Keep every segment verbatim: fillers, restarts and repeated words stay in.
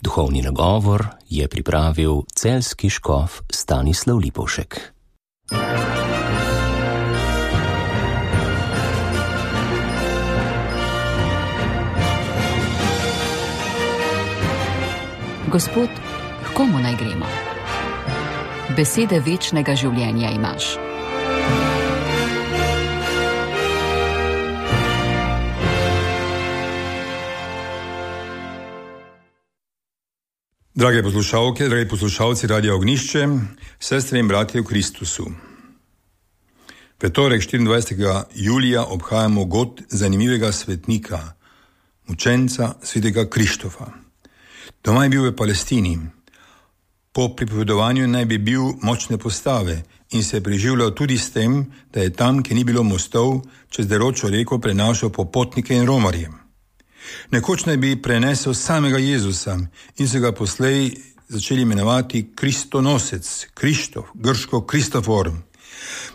Duhovni nagovor je pripravil celjski škof Stanislav Lipovšek. Gospod, k komu naj gremo? Besede večnega življenja imaš. Drage poslušalke, dragi poslušalci Radia Ognišče, sestre in bratje v Kristusu. V torek štiriindvajsetega julija obhajamo god zanimivega svetnika, mučenca svetega Krištofa. Doma je bil v Palestini. Po pripovedovanju naj bi bil močne postave in se je preživljal tudi s tem, da je tam, kjer ni bilo mostov, čez deročo reko prenašal popotnike in romarje. Nekoč naj bi prenesel samega Jezusa in se ga poslej začeli imenovati Kristonosec, Krištof, grško Kristofor.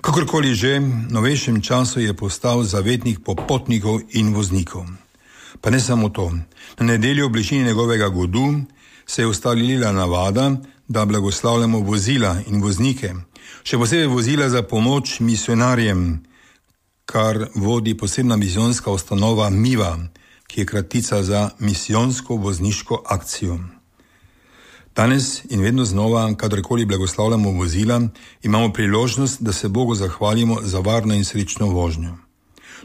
Kakorkoli že, v novejšem času je postal zavetnik popotnikov in voznikov. Pa ne samo to. Na nedeljo v bližini njegovega godu se je ustalila navada, da blagoslavljamo vozila in voznike, še posebej vozila za pomoč misionarjem, kar vodi posebna misijonska ustanova Miva, ki je kratica za misijonsko vozniško akcijo. Danes in vedno znova, kadarkoli blagoslavljamo vozila, imamo priložnost, da se Bogu zahvalimo za varno in srečno vožnjo.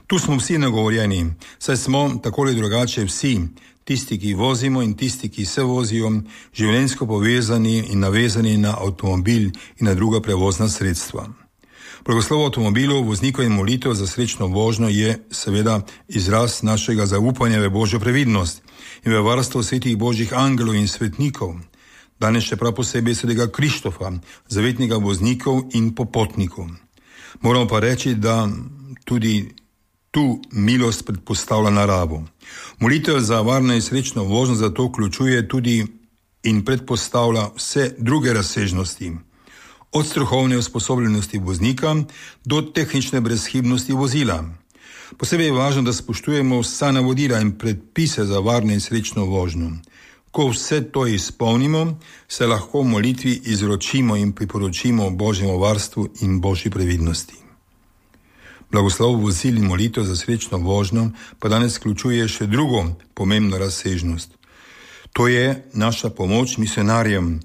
Tu smo vsi nagovorjeni, saj smo tako ali drugače vsi, tisti, ki vozimo in tisti, ki se vozijo, življenjsko povezani in navezani na avtomobil in na druga prevozna sredstva. Blagoslov avtomobilov, voznikov in molitev za srečno vožnjo je seveda izraz našega zaupanja v Božjo previdnost in v varstvo svetih Božjih angelov in svetnikov. Danes še prav posebej svetega Krištofa, zavetnika voznikov in popotnikov. Moramo pa reči, da tudi tu milost predpostavlja naravo. Molitev za varno in srečno vožnjo zato vključuje tudi in predpostavlja vse druge razsežnosti. Od strokovne usposobljenosti voznika do tehnične brezhibnosti vozila. Posebej je važno, da spoštujemo vsa navodila in predpise za varno in srečno vožnjo. Ko vse to izpolnimo, se lahko v molitvi izročimo in priporočimo Božjemu varstvu in Božji previdnosti. Blagoslov vozil in molitev za srečno vožnjo pa danes vključuje še drugo pomembno razsežnost. To je naša pomoč misionarjem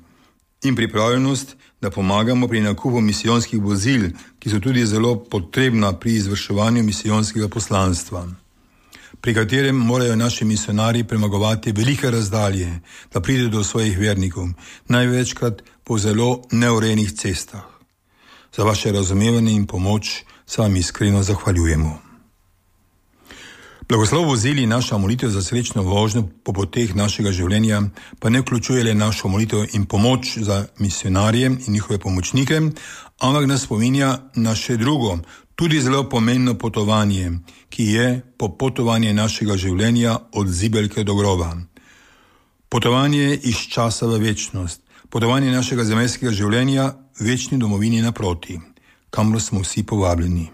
in pripravljenost, da pomagamo pri nakupu misijonskih vozil, ki so tudi zelo potrebna pri izvrševanju misijonskega poslanstva, pri katerem morajo naši misionarji premagovati velike razdalje, da pridejo do svojih vernikov, največkrat po zelo neurejenih cestah. Za vaše razumevanje in pomoč se vam iskreno zahvaljujemo. Blagoslov vozil in naša molitev za srečno vožnjo po poteh našega življenja pa ne vključuje le našo molitev in pomoč za misionarje in njihove pomočnike, ampak nas spominja na še drugo, tudi zelo pomembno potovanje, ki je popotovanje našega življenja od zibelke do groba. Potovanje iz časa v večnost, potovanje našega zemeljskega življenja večni domovini naproti, kamor smo vsi povabljeni.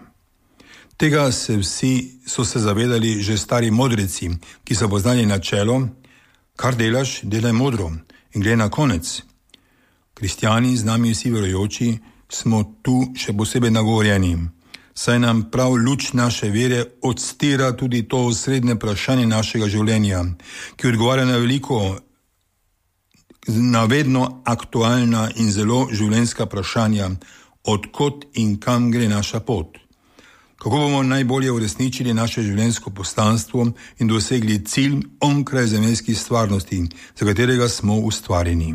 Tega se vsi so se zavedali že stari modreci, ki so poznali načelo, kar delaš, delaj modro in glej na konec. Kristjani, z nami vsi verujoči, smo tu še posebej nagovorjeni, saj nam prav luč naše vere odstira tudi to osrednje vprašanje našega življenja, ki odgovarja na veliko, na vedno aktualna in zelo življenjska vprašanja, odkot in kam gre naša pot. Kako bomo najbolje uresničili naše življenjsko poslanstvo in dosegli cilj onkraj zemeljskih stvarnosti, za katerega smo ustvarjeni.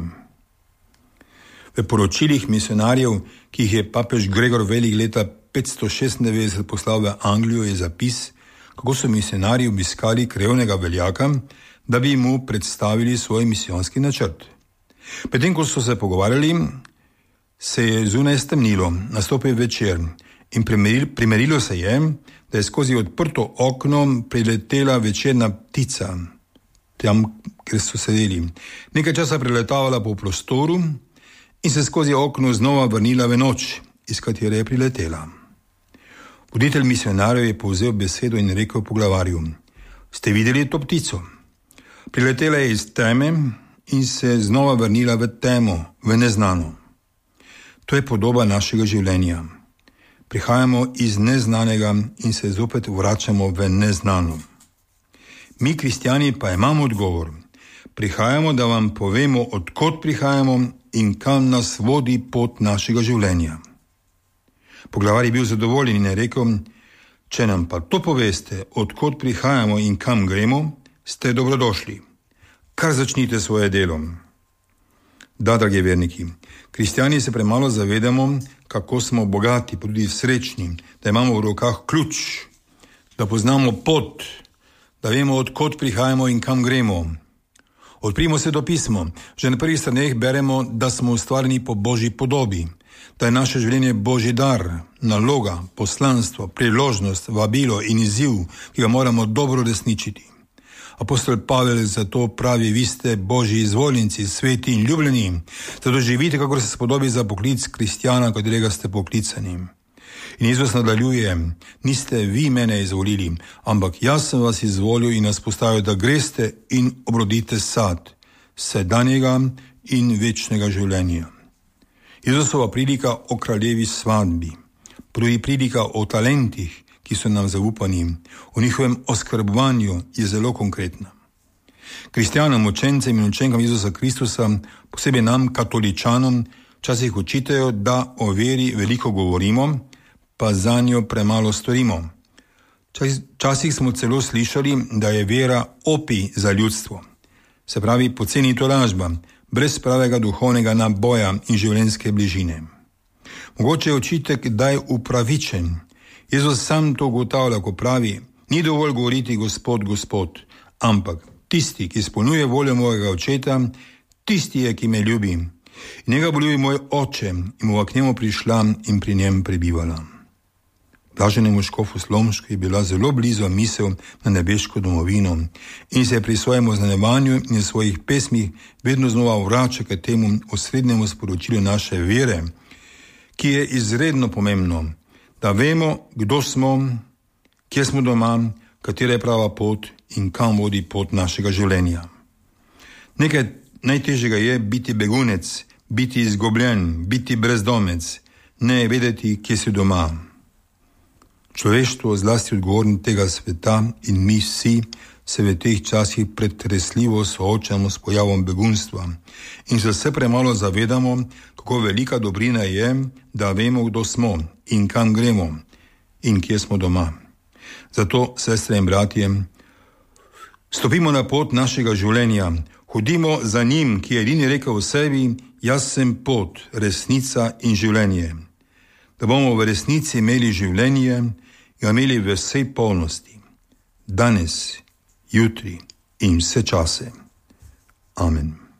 V poročilih misionarjev, ki jih je papež Gregor Velik leta petsto šestindevetdeset poslal v Anglijo, je zapis, kako so misionarji obiskali krevnega veljaka, da bi mu predstavili svoj misijonski načrt. Medtem ko so se pogovarjali, se je zunaj stemnilo, nastopil večer in primerilo se je, da je skozi odprto okno priletela večerna ptica, tam, kjer so sedeli. Nekaj časa preletavala po prostoru in se skozi okno znova vrnila v noč, iz katere je priletela. Voditelj misionarjev je povzel besedo in rekel poglavarju: "Ste videli to ptico? Priletela je iz teme in se znova vrnila v temo, v neznano. To je podoba našega življenja. Prihajamo iz neznanega in se zopet vračamo v neznano. Mi, kristjani, pa imamo odgovor. Prihajamo, da vam povemo, odkot prihajamo in kam nas vodi pot našega življenja. Poglavar je bil zadovoljen in je rekel: če nam pa to poveste, odkot prihajamo in kam gremo, ste dobrodošli. Kar začnite svoje delo. Da, dragi verniki, kristjani se premalo zavedamo, kako smo bogati, pa tudi srečni, da imamo v rokah ključ, da poznamo pot, da vemo, odkot prihajamo in kam gremo. Odprimo se do pismo. Že na prvih straneh beremo, da smo ustvarjeni po Božji podobi, da je naše življenje Božji dar, naloga, poslanstvo, priložnost, vabilo in izziv, ki ga moramo dobro resničiti. Apostol Pavel zato pravi: vi ste Božji izvoljenci, sveti in ljubljeni, zato živite, kakor se spodobi za poklic kristjana, katerega ste poklicani. In Jezus nadaljuje: niste vi mene izvolili, ampak jaz sem vas izvolil in nas postavil, da greste in obrodite sad sedanjega in večnega življenja. Jezusova prilika o kraljevi svadbi, prvi prilika o talentih, ki so nam zaupani, o njihovem oskrbovanju, je zelo konkretna. Kristjanom, učencem in učenkam Jezusa Kristusa, posebej nam, katoličanom, včasih učitajo, da o veri veliko govorimo, pa za njo premalo storimo. Včasih smo celo slišali, da je vera opij za ljudstvo. Se pravi, poceni tolažba, brez pravega duhovnega naboja in življenjske bližine. Mogoče je očitek, da je upravičen. Jezus sam to ugotavlja, ko pravi: ni dovolj govoriti Gospod, Gospod, ampak tisti, ki izpolnjuje voljo mojega očeta, tisti je, ki me ljubi. In njega bo ljubil moj oče in bova k njemu prišla in pri njem prebivala. Blaženemu škofu Slomšku je bila zelo blizu misel na nebeško domovino in se je pri svojem oznanjevanju in svojih pesmih vedno znova vrača k temu osrednjemu sporočilu naše vere, ki je izredno pomembno, da vemo, kdo smo, kje smo doma, katera je prava pot in kam vodi pot našega življenja. Nekaj najtežjega je biti begunec, biti izgubljen, biti brezdomec, ne vedeti, kje si doma. Človeštvo, zlasti odgovorni tega sveta in mi vsi, se v teh časih pretresljivo soočamo s pojavom begunstva in se vse premalo zavedamo, kako velika dobrina je, da vemo, kdo smo in kam gremo in kje smo doma. Zato, sestre in bratje, stopimo na pot našega življenja, hodimo za njim, ki je edini rekel v sebi: jaz sem pot, resnica in življenje. Da bomo v resnici imeli življenje, ga imeli v vsej polnosti, danes, jutri in vse čase. Amen.